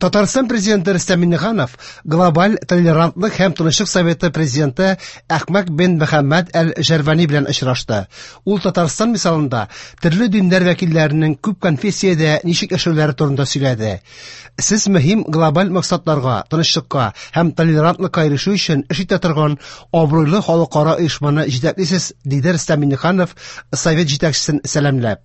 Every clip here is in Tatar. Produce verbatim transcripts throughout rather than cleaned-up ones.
Татарстан президенты Рөстәм Миңнеханов Глобаль толерантлык һәм тынычлык советы президенты Әхмәд бен Мөхәммәд әл-Җәрвани белән очрашты. Ул Татарстан мисалында төрле диннәр вәкилләренең күп конфессиядә ничек яшәүләре турында сөйләде. Сез мөһим глобаль максатларга, тынычлыкка һәм толерантлыкка ирешү өчен эш итә торган абруйлы халыкара оешманы җитәклисез, диде Рөстәм Миңнеханов совет җитәкчесен сәламләп.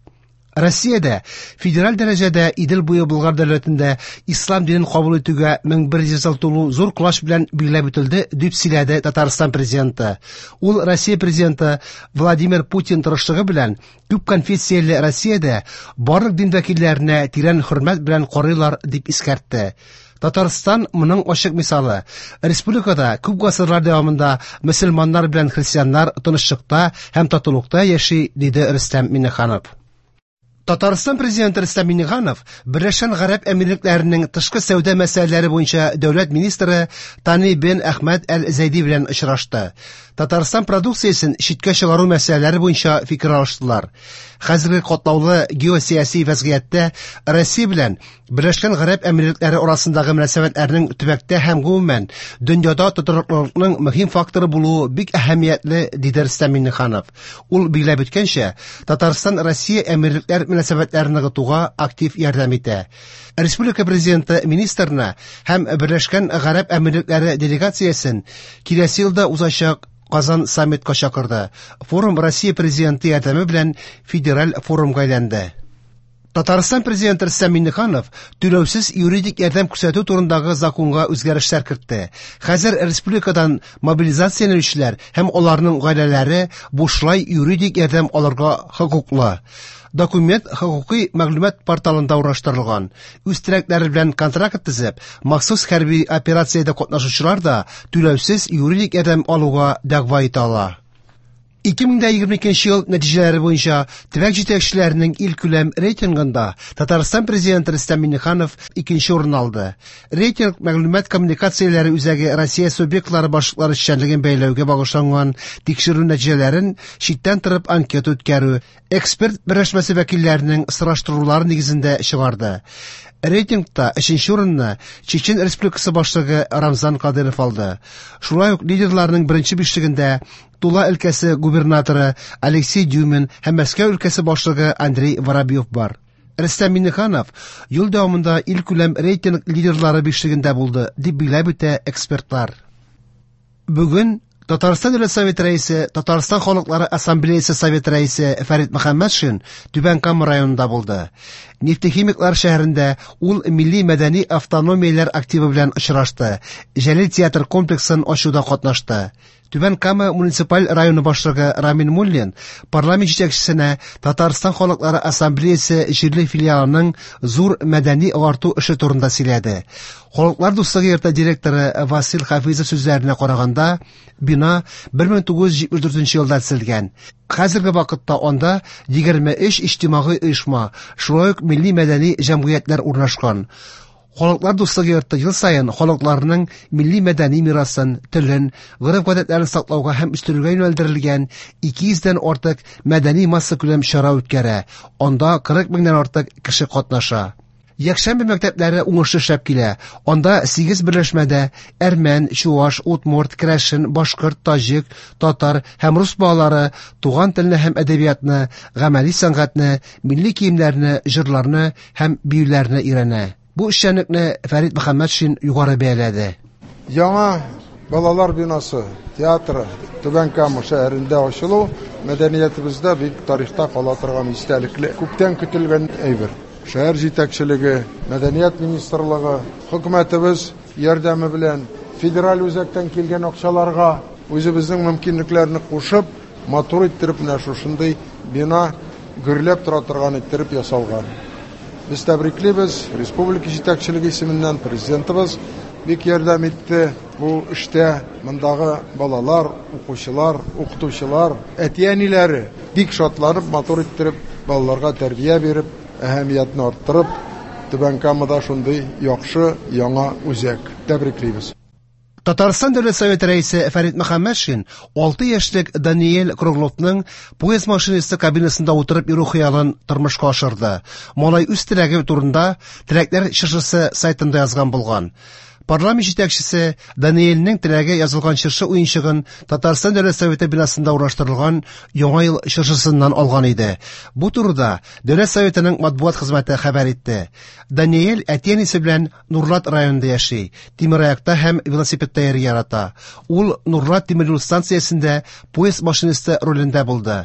Россиядә федераль дәрәҗәдә Идел буе Болгар дәүләтендә ислам динен кабул итүгә мең бер йөз ел тулу зур колач белән билгеләп үтелде, дип сөйләде Татарстан президенты. Ул Россия президенты Владимир Путин тырышлыгы белән күп конфессияле Россиядә барлык дин вәкилләренә тирән хөрмәт белән карыйлар, дип искәртте. Татарстан моның ачык мисалы. Республикада күп гасырлар дәвамында мөселманнар белән христианнар тынычлыкта һәм татулыкта яши, диде Рөстәм Миңнеханов. Татарстан президенты Рөстәм Миңнеханов Берләшкән Гарәп Әмирлекләренең тышкы сәүдә мәсьәләләре буенча дәүләт министры Тани бен Әхмәд әл-Зәйди белән очрашты. Татарстан продукциясен читкә чыгару мәсьәләләре буенча фикер алыштылар. Хәзерге катлаулы геосияси вәзгыятьтә Россия белән Берләшкән Гарәп Әмирлекләре арасындагы мөнәсәбәтләрнең төбәктә һәм гомумән дөньяда тотрыклылыкның мөһим факторы булуы бик әһәмиятле, диде Рөстәм Миңнеханов. Ул билгеләп үткәнчә, Татарстан Россия Әмирлекләр мөнәсәбәтләрен ныгытуга актив ярдәм итә. Республика президенты министрына һәм Берләшкән Гарәп Әмирлекләре делегациясен киләсе елда узачак Казан саммитка чакырды. Форум Россия президенты ярдәме белән федераль форумга әйләнде. Татарстан президенты Рөстәм Миңнеханов түләүсез юридик ярдәм күрсәтү турындагы законга үзгәрешләр кертте. Хәзер республикадан мобилизацияләнүчеләр һәм аларның гаиләләре бушлай юридик ярдәм алырга хокуклы. Документ хокукый мәгълүмат порталында урнаштырылган. Үз теләкләре белән контракт төзеп, махсус хәрби операциядә катнашучылар да түләүсез юридик ярдәм алуга дәгъва итә ала. Ике мең дә егерме икенче ел нәтиҗәләре буенча төбәк җитәкчеләренең илкүләм рейтингында Татарстан президенты Рөстәм Миңнеханов икенче урын алды. Рейтинг мәгълүмат коммуникацияләре үзәге Россия субъектлары башлыклары эшчәнлеген бәяләүгә багышланган тикшерү нәтиҗәләрен читтән торып анкета үткәрү, эксперт берләшмәсе вәкилләренең сораштырулары нигезендә чыгарды. Рейтингта өченче урынны Чечен Республикасы башлыгы Рамзан Кадыров алды. Шулай ук лидерларның беренче бишлегендә Тула өлкәсе губернаторы Алексей Дюмин һәм Мәскәү өлкәсе башлыгы Андрей Воробьев бар. Рөстәм Миңнеханов ел дәвамында илкүләм рейтинг лидерлары бишлегендә булды, дип билгеләп үтә экспертлар. Бүген Татарстан Дәүләт Советы рәисе, Татарстан Халыклары Ассамблеясы Советы рәисе Фәрит Мөхәммәтшин Түбән Кама районында булды. Нефтехимиклар шәһәрендә ул милли мәдәни автономияләр активы белән очрашты. Җәлил театр комплексын ачуда катнашты. Түбән Кама муниципаль районы башлыгы Рамил Муллин парламент җитәкчесенә Татарстан Халыклары Ассамблеясы җирле филиалының зур мәдәни агарту эше турында сөйләде. Халыклар дуслыгы йорты директоры Васил Хафизов сүзләренә караганда, бина бер мең тугыз йөз җитмеш дүртенче елда төзелгән. Хәзерге вакытта анда егерме өч иҗтимагый оешма, шулай ук милли мәдәни җәмгыятьләр урнашкан. Халыклар дуслыгы йорты ел саен халыкларның милли мәдәни мирасын, телен, гореф-гадәтләрен саклауга һәм үстерүгә юнәлдерелгән ике йөздән артык мәдәни массакүләм чара үткәрә. Анда кырык меңнән артык кеше катнаша. Якшәмбе мәктәпләре уңышлы эшләп килә. Анда сигез берләшмәдә әрмән, чуаш, удмурт, керәшен, башкорт, таҗик, татар һәм рус балалары туган телне һәм әдәбиятны, гамәли сәнгатьне, милли киемнәрне, җырларны һәм биюләрне өйрәнә. Бу эшчәнлекне Фәрит Мөхәммәтшин югары бәяләде. Яңа балалар бинасы, театры Түбән Кама шәһәрендә ачылу мәдәниятебездә бик тарихта кала торган истәлекле, күптән көтелгән әйбер. Шәһәр җитәкчелеге, мәдәният министрлыгы, хөкүмәтебез ярдәме белән федераль үзәктән килгән акчаларга үзебезнең мөмкинлекләрне кушып, матур иттереп менә шушындый бина гөрләп тора торган иттереп ясалган. Без тәбриклибез, республика җитәкчелеге исеменнән президентыбыз бик ярдәм итте бу эштә. Мондагы балалар, укучылар, укытучылар, әти-әниләре бик шатланып, матур иттереп, балаларга тәрбия биреп, әһәмиятне арттырып, Түбән Камада шундый яхшы яңа үзәк. Тәбриклибез. Татарстан Дәүләт Советы рәисе Фәрит Мөхәммәтшин алты яшьлек Даниэль Кругловның поезд машинисты кабинасында утырып йөрү хыялын тормышка ашырды. Малай үз теләге турында Теләкләр чыршысы сайтында язган булган. Парламент җитәкчесе Даниэльнең теләге язылган чыршы уенчыгын Татарстан Дәүләт Советы бинасында урнаштырылган Яңа ел чыршысыннан алган иде. Бу турыда Дәүләт Советының матбугат хезмәте хәбәр итте. Даниэль әти-әнисе белән Нурлат районында яши, тимераякта һәм велосипедта йөрергә ярата. Ул Нурлат тимер юл станциясендә поезд машинисты ролендә булды.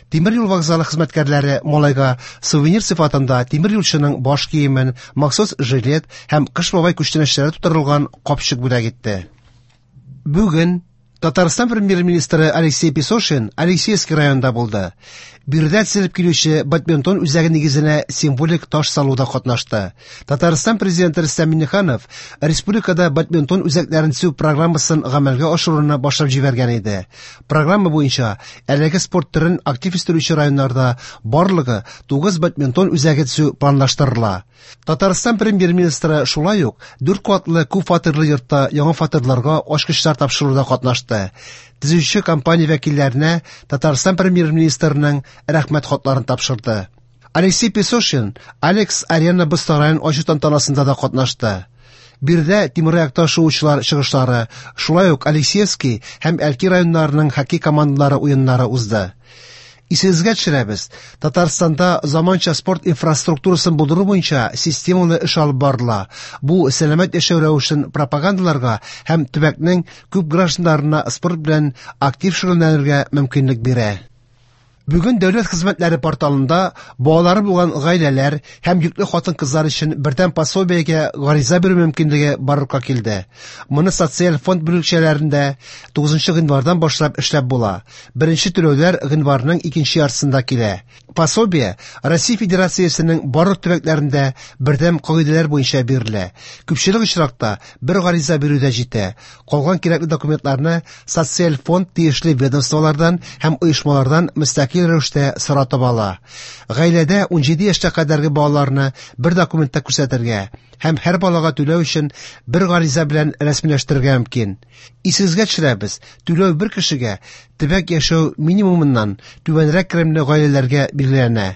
Тимер юл вокзалы хезмәткәрләре малайга сувенир сыйфатында тимер юлчының баш киемен, махсус жилет һәм Кыш бабай күчтәнәчләре тутырылган капчык бүләк итте. Бүген Татарстан премьер-министры Алексей Песошин Алексеевский районында булды. Биредә төзелеп килүче бадминтон үзәге нигезенә символик таш салуда катнашты. Татарстан президенты Рөстәм Миңнеханов республикада бадминтон үзәкләрен төзү программасын гамәлгә ашыруны башлап җибәргән иде. Программа буенча әлеге спорт төрен актив үстерүче районнарда барлыгы тугыз бадминтон үзәге төзү планлаштырыла. Татарстан премьер-министры шулай ук дүрт катлы күп фатирлы йортта яңа фатирларга ачкычлар тапшыруда катнашты. Төзүче компания вәкилләренә Татарстан премьер-министрының рәхмәт хатларын тапшырды. Алексей Песошин Алекс Арена боз сараен ачу тантанасында да катнашты. Биредә тимераякта шуучылар чыгышлары, шулай ук Алексеевский һәм Әлки районнарының хоккей командалары уеннары узды. Исегезгә төшерәбез, Татарстанда заманча спорт инфраструктурасын булдыру буенча системалы эш алып барыла. Бу сәламәт яшәү рәвешен пропагандаларга һәм төбәкнең күп гражданнарына спорт белән актив шөгыльләнергә мөмкинлек бирә. Бүген дәүләт хезмәтләре порталында балалары булган гаиләләр һәм йөкле хатын-кызлар өчен бердәм пособиегә гариза бирү мөмкинлеге барлыкка килде. Моны социаль фонд бүлекчәләрендә тугызынчы гыйнвардан башлап эшләп була. Беренче түләүләр гыйнварның икенче яртысында килә. Пособие Россия Федерациясенең барлык төбәкләрендә бердәм кагыйдәләр буенча бирелә. Күпчелек очракта бер гариза бирү дә җитә. Калган кирәкле документларны социаль фонд тиешле ведомстволардан һәм оешмалардан мөстәкыйль рәвештә соратып ала. Гаиләдә ун җиде яшькә кадәрге балаларны бер документта күрсәтергә һәм һәр балага түләү өчен бер гариза белән рәсмиләштерергә мөмкин. Исегезгә төшерәбез, түләү бер кешегә төбәк яшәү минимумыннан түбәнрәк керемле гаиләләргә билгеләнә.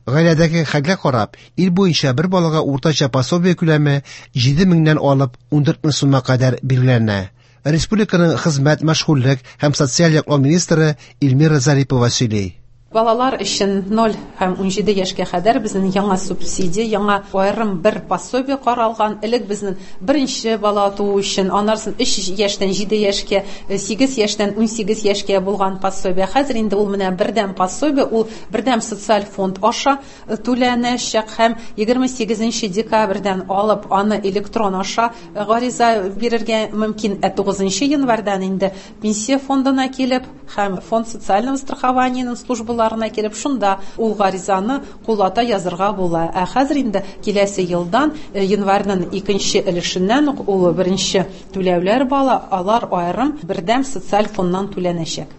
Гаиләдәге хәлгә карап, ил буенча бер балага уртача пособие күләме җиде меңнән алып ун дүрт мең сумга кадәр билгеләнә. Республиканың хезмәт, мәшгульлек һәм социаль яклау министры Эльмира Зарипова сөйли. Балалар өчен ноль һәм ун җиде яшькә кадәр безнең яңа субсидия, яңа аерым бер пособие каралган. Элек безнең беренче бала туу өчен, аннан өч яшьтән җиде яшькә, сигез яшьтән ун сигез яшькә булган пособие. Хәзер инде ул менә бердәм пособие, ул бердәм социаль фонд аша түләнәчәк һәм егерме сигезенче декабрьдән алып аны электрон аша гариза бирергә мөмкин. Ә тугызынчы январьдан инде пенсия фондына килеп һәм фонд социального страхованияның службалары килеп шунда ул гаризаны куллата язырга була. Ә хәзер инде киләсе елдан январьның икенче өлешеннән үк ул беренче түләүләр бала, алар аерым бердәм социаль фонднан түләнәчәк.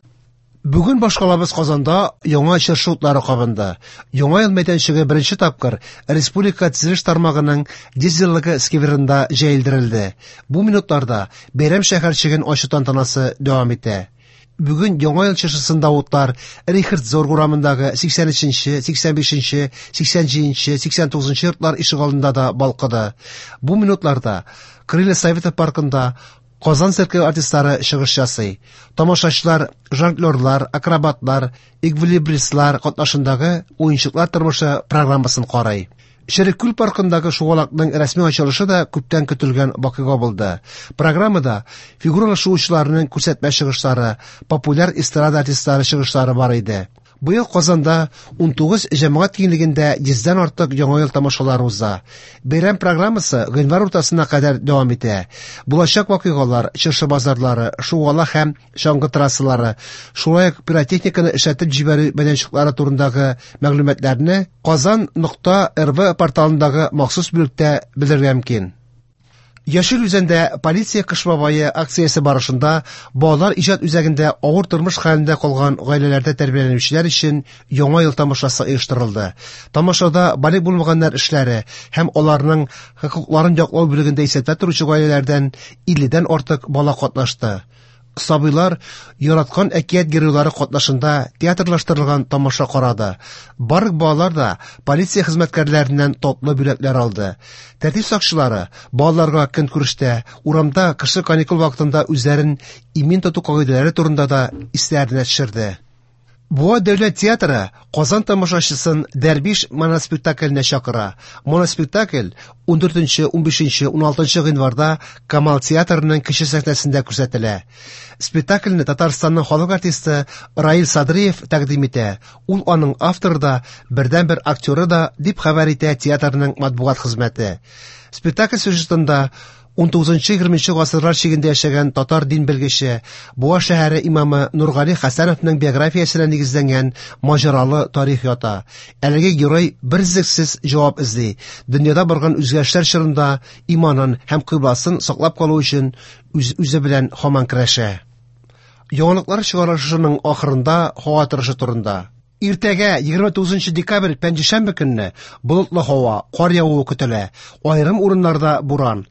Бүген башкалабыз Казанда яңа чыршы утлары кабынды. Яңа ел мәйданчыгы беренче тапкыр республика төзелеш тармагының йөз еллыгы скверында җәелдерелде. Бу минутларда бәйрәм шәһәрчеген ачу тантанасы дәвам итә. Бүген Яңа ел чыршысында утлар Рихард Зорг урамындагы сиксән өченче, сиксән бишенче, сиксән җиденче, сиксән тугызынчы йортлар ишегалдында да балкыды. Бу минутларда Крылья Советов паркында Казан циркы артистлары чыгыш ясый. Тамашачылар жонглерлар, акробатлар, эквилибристлар катнашындагы уенчыклар тормышы программасын карый. Череккүл паркындагы шугалакның рәсми ачылышы да күптән көтелгән вакыйга булды. Программада фигуралы шуучыларның күрсәтмә чыгышлары, популяр эстрада артистлары чыгышлары бар иде. Быел Казанда ун тугыз җәмәгать киңлегендә йөздән артык яңа ел тамашалары уза. Бәйрәм программасы гыйнвар уртасына кадәр дәвам итә. Булачак вакыйгалар, чыршы базарлары, шугалак һәм чаңгы трассалары, шулай ук пиротехниканы эшләтеп җибәрү мәйданчыклары турындагы мәгълүматларны Казан нокта эр вэ порталындагы махсус бүлектә белергә мөмкин. Яшел Үзәндә «Полиция Кыш бабае» акциясе барышында балалар иҗат үзәгендә авыр тормыш хәлендә калган гаиләләрдә тәрбияләнүчеләр өчен Яңа ел тамашасы оештырылды. Тамашада балигъ булмаганнар эшләре һәм аларның хокукларын яклау бүлегендә исәптә торучы гаиләләрдән илледән артык бала катнашты. Сабыйлар яраткан әкият геройлары катнашында театрлаштырылган тамаша карады. Барлык балалар да полиция хезмәткәрләреннән татлы бүләкләр алды. Тәртип сакчылары балаларга көнкүрештә, урамда кышкы каникул вакытында үзләрен имин тоту кагыйдәләре турында да исләренә төшерде. Буа дәүләт театры Казан тамашачысын «Дәрвиш» моноспектакленә чакыра. Моноспектакль ундүртенче, унбишенче, уналтынчы гыйнварда Камал театрының кече сәхнәсендә күрсәтелә. Спектакльне Татарстанның халык артисты Раил Садриев тәкъдим итә. Ул аның авторы да, бердәнбер актеры да, дип хәбәр итә театрның матбугат хезмәте. Спектакль сюжетында унтугызынчы-егерменче гасырлар чигендә яшәгән татар дин белгече, Буа шәһәре имамы Нургали Хәсәновның биографиясенә нигезләнгән маҗаралы тарих ята. Әлеге герой берөзлексез җавап эзли. Дөньяда барган үзгәрешләр чорында иманын һәм кыйбласын саклап калу өчен үз үзе белән һаман көрәшә. Яңалыклар чыгарылышының ахырында һава торышы турында. Иртәгә егерме тугызынчы декабрь пәнҗешәмбе көнне болытлы һава, кар явуы көтелә. Аерым урыннарда буран.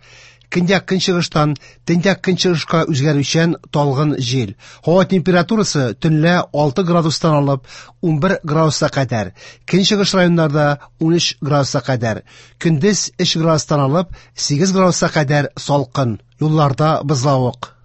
Көньяк көнчыгыштан төньяк көнчыгышка үзгәрүчән талгын җил. Һава температурасы төнлә алты градустан алып унбер градуска кадәр. Көнчыгыш районнарда унөч градуска кадәр. Көндез өч градустан алып сигез градуска кадәр салкын. Юлларда бозлавык.